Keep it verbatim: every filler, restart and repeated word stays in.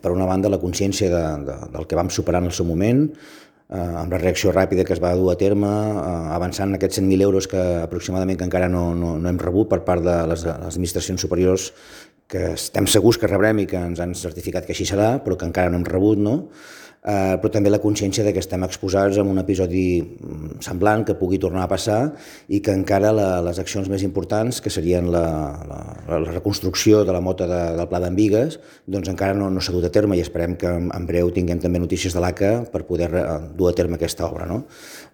Per una banda, la consciència de, de, del que vam superar en el seu moment, eh, amb la reacció ràpida que es va dur a terme, eh, avançant aquests cent mil euros que aproximadament que encara no, no, no hem rebut per part de les, les administracions superiors, que estem segurs que rebrem i que ens han certificat que així serà, però que encara no hem rebut, no? Eh, però també la consciència de que estem exposats a un episodi semblant que pugui tornar a passar i que encara la, les accions més importants, que serien la, la, la reconstrucció de la mota de, del Pla d'en Bigues, doncs encara no, no s'ha dut a terme i esperem que en, en breu tinguem també notícies de l'A C A per poder dur a terme aquesta obra, no?